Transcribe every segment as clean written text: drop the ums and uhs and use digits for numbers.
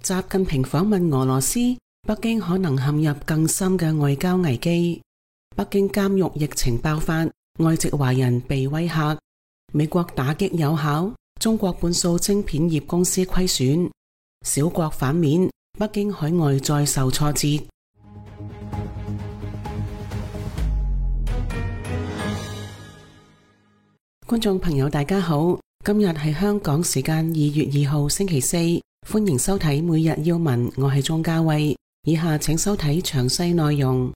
習近平訪問俄羅斯，北京可能陷入更深嘅外交危機。北京監獄疫情爆發，外籍華人被威嚇。美國打擊有效，中國半數晶片業公司虧損。小國反面，北京海外再受挫折。觀眾朋友大家好，今日係香港時間2月2號星期四，歡迎收睇每日要聞，我係鍾嘉慧。以下請收睇詳細內容。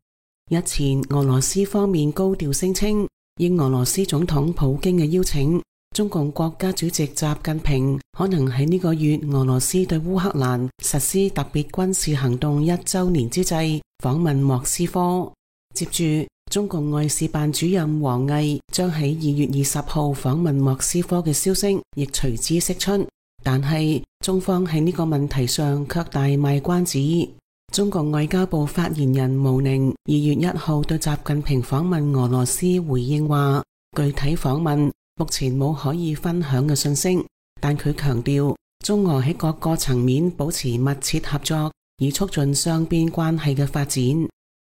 日前俄羅斯方面高調聲稱，應俄羅斯總統普京嘅邀請，中共國家主席習近平可能喺呢個月俄羅斯對烏克蘭實施特別軍事行動1週年之際訪問莫斯科。接住中共外事辦主任王毅將喺2月20號訪問莫斯科嘅消息亦隨之釋出，但係中方喺呢個問題上卻大賣關子。中共外交部發言人毛寧2月1號對習近平訪問俄羅斯回應話，具體訪問目前冇可以分享嘅信息，但佢強調中俄喺各個層面保持密切合作，以促進雙邊關係嘅發展。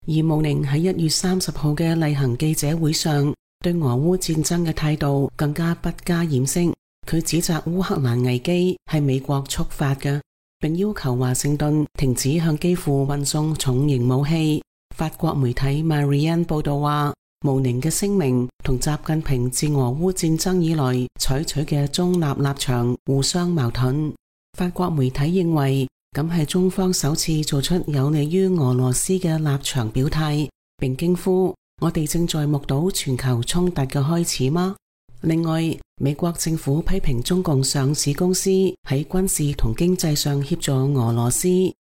而毛寧喺1月30號嘅例行記者會上，對俄烏戰爭嘅態度更加不加掩飾。佢指責烏克蘭危機係美國觸發嘅，並要求華盛頓停止向基輔運送重型武器。法國媒體 Marianne 報道話，毛寧嘅聲明同習近平自俄烏戰爭以來採取嘅中立立場互相矛盾。法國媒體認為，咁係中方首次做出有利於俄羅斯嘅立場表態，並驚呼：我哋正在目睹全球衝突嘅開始嗎？另外，美國政府批評中共上市公司喺軍事同經濟上協助俄羅斯，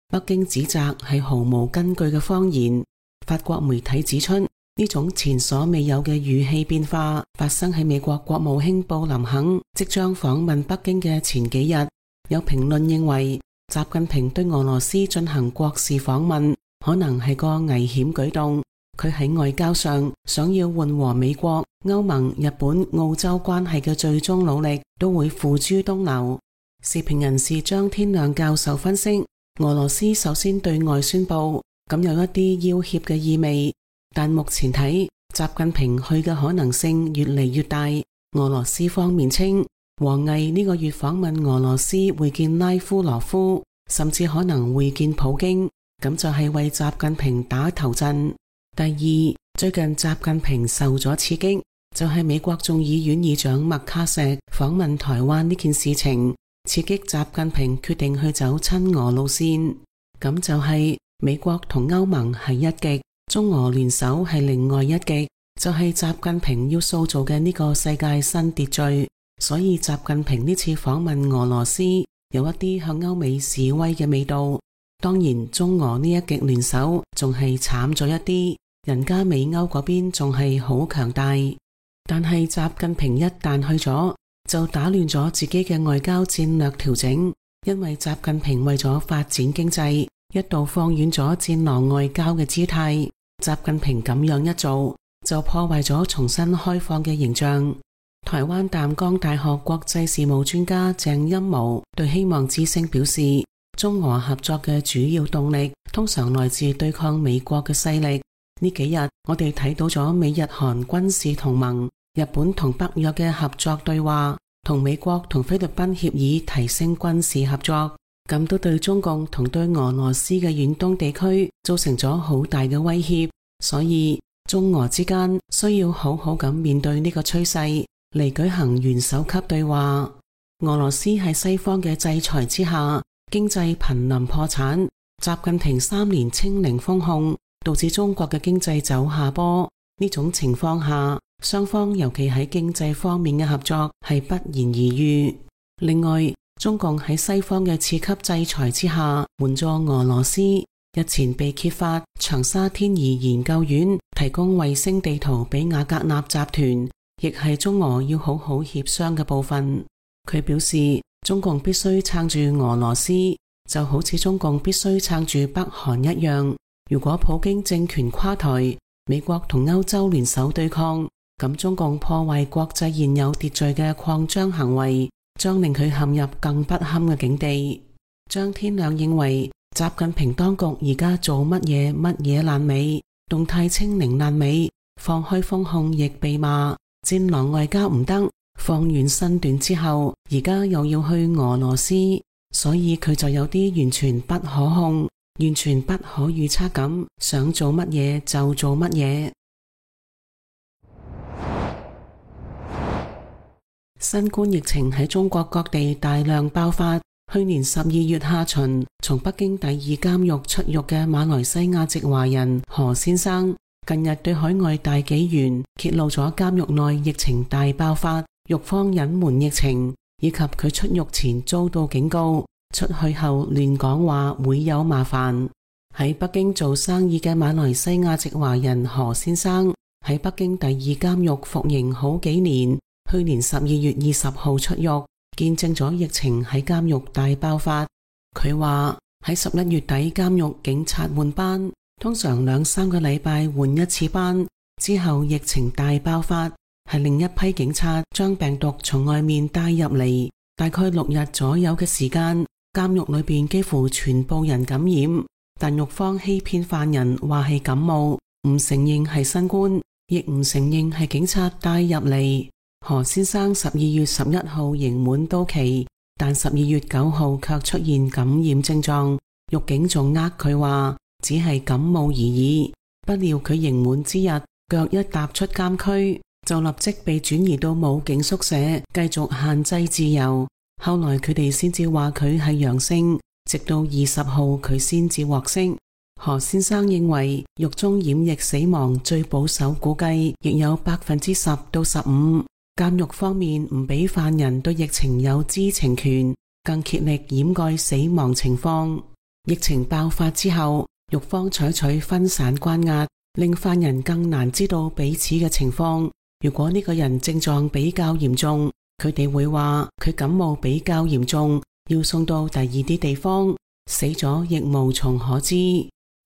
北京指責係毫無根據嘅謊言。法國媒體指出，呢種前所未有嘅語氣變化發生喺美國國務卿布林肯即將訪問北京嘅前幾日。有評論認為，習近平對俄羅斯進行國事訪問可能係個危險舉動，佢喺外交上想要緩和美國、歐盟、日本、澳洲關係嘅最終努力都會付諸東流。時評人士張天亮教授分析，俄羅斯首先對外宣布，咁有一啲要挾嘅意味，但目前睇習近平去嘅可能性越嚟越大。俄羅斯方面稱，王毅呢個月訪問俄羅斯會見拉夫羅夫，甚至可能會見普京，咁就係為習近平打頭陣。第二，最近習近平受咗刺激，就係美國眾議院議長麥卡錫訪問台灣呢件事情，刺激習近平決定去走親俄路線。咁就係美國同歐盟係一極，中俄聯手係另外一極，就係習近平要塑造嘅呢個世界新秩序。所以習近平呢次訪問俄羅斯有一啲向歐美示威嘅味道。當然中俄呢一極聯手仲係慘咗一啲，人家美歐嗰邊仲係好強大。但係習近平一旦去咗，就打亂咗自己嘅外交戰略調整，因為習近平為咗發展經濟，一度放軟咗戰狼外交嘅姿態。習近平咁樣一做，就破壞咗重新開放嘅形象。台灣淡江大學國際事務專家鄭欽模對希望之聲表示，中俄合作嘅主要動力通常來自對抗美國嘅勢力。呢幾日我哋睇到咗美日韓軍事同盟、日本同北約嘅合作對話，同美國同菲律賓協議提升軍事合作，咁都對中共同對俄羅斯嘅遠東地區造成咗好大嘅威脅。所以中俄之間需要好好咁面對呢個趨勢，嚟舉行元首級對話。俄羅斯喺西方嘅制裁之下，經濟瀕臨破產。習近平3年清零封控，導致中國嘅經濟走下坡。呢種情況下，雙方尤其喺經濟方面嘅合作係不言而喻。另外，中共喺西方嘅次級制裁之下援助俄羅斯。日前被揭發長沙天儀研究院提供衛星地圖俾瓦格納集團，亦係中俄要好好協商嘅部分。佢表示，中共必須撐住俄羅斯，就好似中共必須撐住北韓一樣。如果普京政權垮台，美國同歐洲聯手對抗，咁中共破壞國際現有秩序嘅擴張行為，將令佢陷入更不堪嘅境地。張天亮認為習近平當局而家做乜嘢爛尾，動態清零爛尾，放開封控亦被罵，戰狼外交唔得，放完身段之後，而家又要去俄羅斯，所以佢就有啲完全不可控，完全不可預測咁，想做乜嘢就做乜嘢。新冠疫情喺中國各地大量爆發。去年12月下旬，從北京第二監獄出獄嘅馬來西亞籍華人何先生，近日對海外大紀元揭露咗監獄內疫情大爆發，獄方隱瞞疫情，以及佢出獄前遭到警告，出去後亂講話會有麻煩。喺北京做生意嘅馬來西亞籍華人何先生喺北京第二監獄服刑好幾年，去年12月20號出獄，見證咗疫情喺監獄大爆發。佢話喺11月底監獄警察換班，通常2-3個禮拜換一次班，之後疫情大爆發，係另一批警察將病毒從外面帶入嚟，大概6日左右嘅時間，監獄裏邊幾乎全部人感染，但獄方欺騙犯人話係感冒，唔承認係新冠，亦唔承認係警察帶入嚟。何先生12月11號刑滿到期，但12月9號卻出現感染症狀，獄警仲呃佢話只係感冒而已。不料佢刑滿之日，腳一踏出監區，就立即被轉移到武警宿舍，繼續限制自由。後來佢哋先至話佢係陽性，直到20號佢先至獲釋。何先生認為獄中染疫死亡最保守估計亦有10%到15%。監獄方面唔俾犯人對疫情有知情權，更竭力掩蓋死亡情況。疫情爆發之後，獄方採取分散關押，令犯人更難知道彼此嘅情況。如果呢個人症狀比較嚴重，佢哋會話佢感冒比較嚴重，要送到第二啲地方，死咗亦無從可知。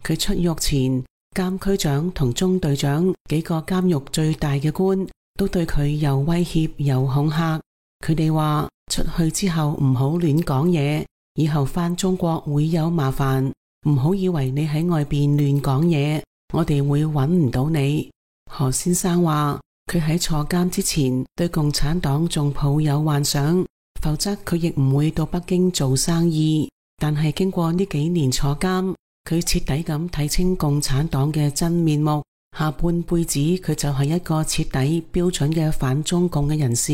佢出獄前，監區長同中隊長幾個監獄最大嘅官都對佢又威脅又恐嚇，佢哋話出去之後唔好亂講嘢，以後返中國會有麻煩，唔好以為你喺外邊亂講嘢，我哋會揾唔到你。何先生話佢喺坐監之前對共產黨仲抱有幻想，否則佢亦唔會到北京做生意。但係經過呢幾年坐監，佢徹底咁睇清共產黨嘅真面目，下半輩子佢就係一個徹底標準嘅反中共嘅人士。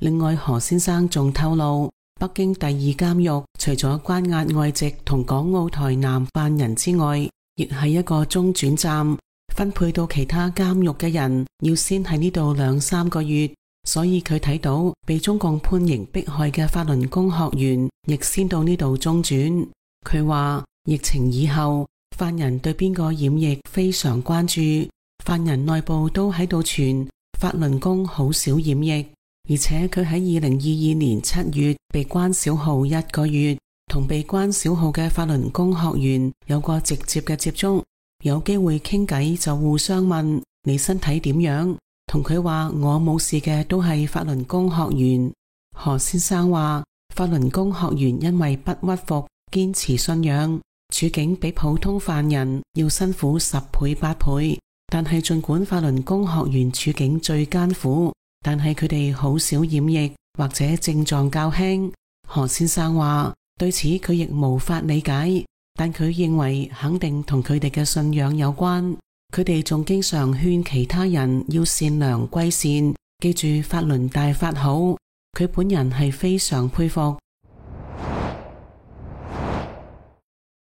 另外，何先生仲透露，北京第二監獄除咗關押外籍同港澳台南犯人之外，亦係一個中轉站，分配到其他監獄嘅人要先喺呢度2-3個月，所以佢睇到被中共判刑迫害嘅法輪功學員亦先到呢度中轉。佢話疫情以後，犯人對邊個染疫非常關注，犯人內部都喺度傳法輪功好少染疫，而且佢喺2022年7月被關小號1個月，同被關小號嘅法輪功學員有過直接嘅接觸，有機會傾偈就互相問你身體點樣，同佢話我冇事嘅都係法輪功學員。何先生話法輪功學員因為不屈服，堅持信仰，處境比普通犯人要辛苦10倍8倍，但係盡管法輪功學員處境最艱苦，但係佢哋好少染疫或者症狀較輕。何先生話對此佢亦無法理解，但佢認為肯定同佢哋嘅信仰有關。佢哋仲經常勸其他人要善良歸善，記住法輪大法好。佢本人係非常佩服。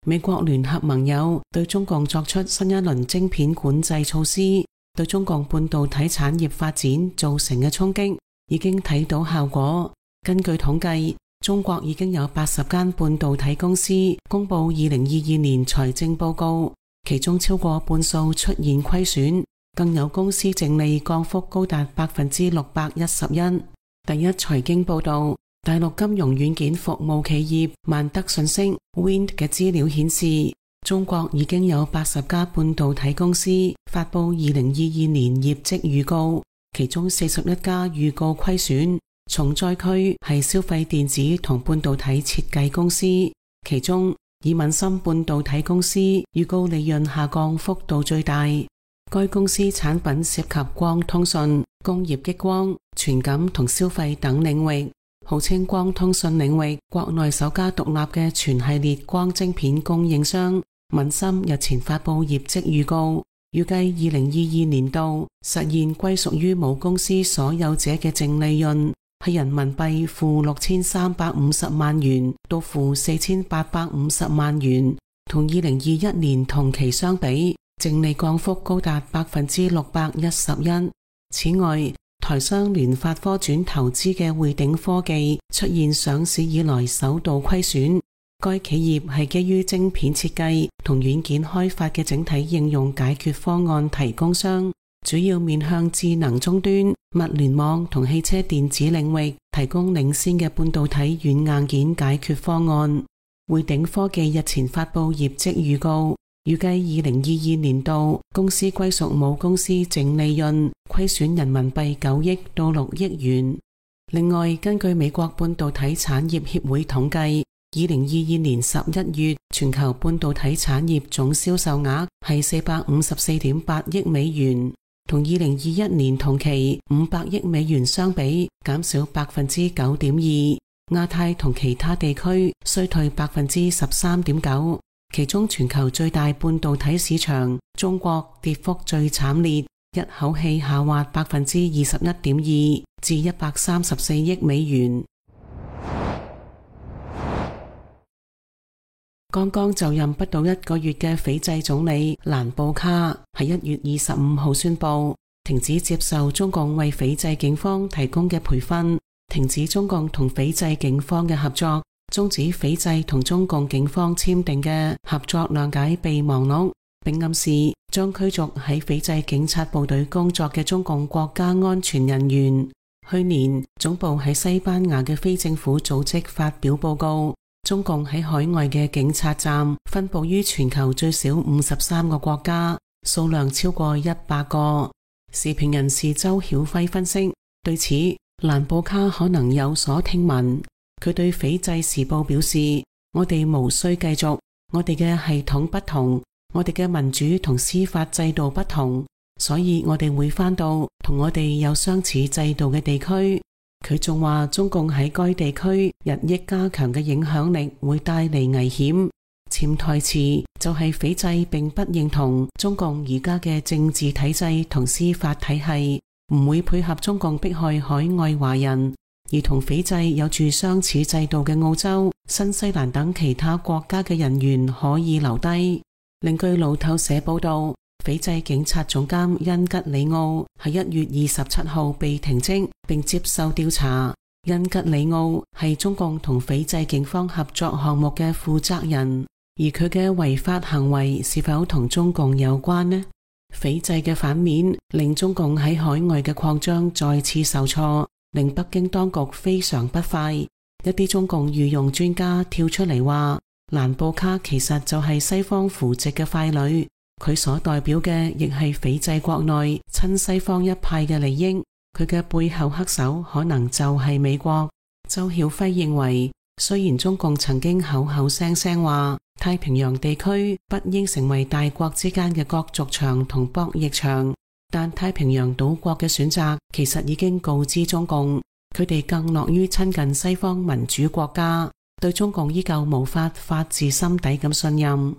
美國聯合盟友對中共作出新一輪晶片管制措施，對中共半導體產業發展造成嘅衝擊已經睇到效果。根據統計，中國已經有80間半導體公司公布2022年財政報告，其中超過半數出現虧損，更有公司淨利降幅高達611%。第一財經報道，大陸金融軟件服務企業萬德信息 Wind 嘅資料顯示，中國已經有80家半導體公司發布2022年業績預告，其中41家預告虧損，重災區係消費電子同半導體設計公司，其中以敏森半導體公司預告利潤下降幅度最大。該公司產品涉及光通訊、工業激光、傳感同消費等領域，號稱光通訊領域國內首家獨立嘅全系列光晶片供應商。敏森日前發佈業績預告，預計2022年度實現歸屬於母公司所有者嘅淨利潤係人民幣負6350萬元到負4850萬元，同2021年同期相比，淨利降幅高達611%。此外，台商聯發科轉投資嘅匯頂科技出現上市以來首度虧損。該企業係基於晶片設計同軟件開發嘅整體應用解決方案提供商，主要面向智能終端、物聯網同汽車電子領域提供領先嘅半導體軟硬件解決方案。匯頂科技日前發佈業績預告，預計2022年度公司歸屬母公司淨利潤虧損人民幣9億到6億元。另外，根據美國半導體產業協會統計，2022年11月全球半導體產業總銷售額係454.8億美元，同2021年同期500億美元相比減少 9.2%。亞太同其他地區衰退 13.9%， 其中全球最大半導體市場中國跌幅最慘烈，一口氣下滑 21.2% 至134億美元。剛剛就任不到1個月嘅斐濟總理蘭布卡喺1月25號宣布停止接受中共為斐濟警方提供嘅培訓，停止中共同斐濟警方嘅合作，終止斐濟同中共警方簽訂嘅合作諒解備忘錄，並暗示將驅逐喺斐濟警察部隊工作嘅中共國家安全人員。去年，總部喺西班牙嘅非政府組織發表報告，中共喺海外嘅警察站分佈於全球最少53個國家，數量超過100個。時評人士周曉輝分析，對此蘭布卡可能有所聽聞。佢對斐濟時報表示，我哋無需繼續，我哋嘅系統不同，我哋嘅民主同司法制度不同，所以我哋會返到同我哋有相似制度嘅地區。佢仲話，中共喺該地區日益加強嘅影響力會帶嚟危險。潛台詞就係斐濟並不認同中共而家嘅政治體制同司法體系，唔會配合中共迫害海外華人，而同斐濟有住相似制度嘅澳洲、新西蘭等其他國家嘅人員可以留低。另據路透社報道，斐濟警察總監恩吉里奧喺1月27號被停職並接受調查。恩吉里奧係中共同斐濟警方合作項目嘅負責人，而佢嘅違法行為是否同中共有關呢？斐濟嘅反面令中共喺海外嘅擴張再次受挫，令北京當局非常不快。一啲中共御用專家跳出嚟話，蘭布卡其實就係西方扶植嘅傀儡，佢所代表嘅亦係斐濟國內親西方一派嘅利益，佢嘅背後黑手可能就係美國。周曉輝認為，雖然中共曾經口口聲聲話太平洋地區不應成為大國之間嘅角逐場同博弈場，但太平洋島國嘅選擇其實已經告知中共，佢哋更樂於親近西方民主國家，對中共依舊無法發自心底咁信任。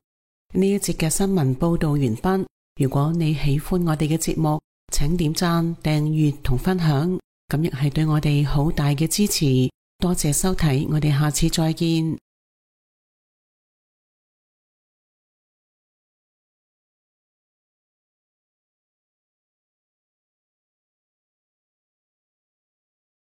呢一節嘅新聞報道完畢。如果你喜歡我哋嘅節目，請點讚、訂閱同分享，咁亦係對我哋好大嘅支持。多謝收睇，我哋下次再見。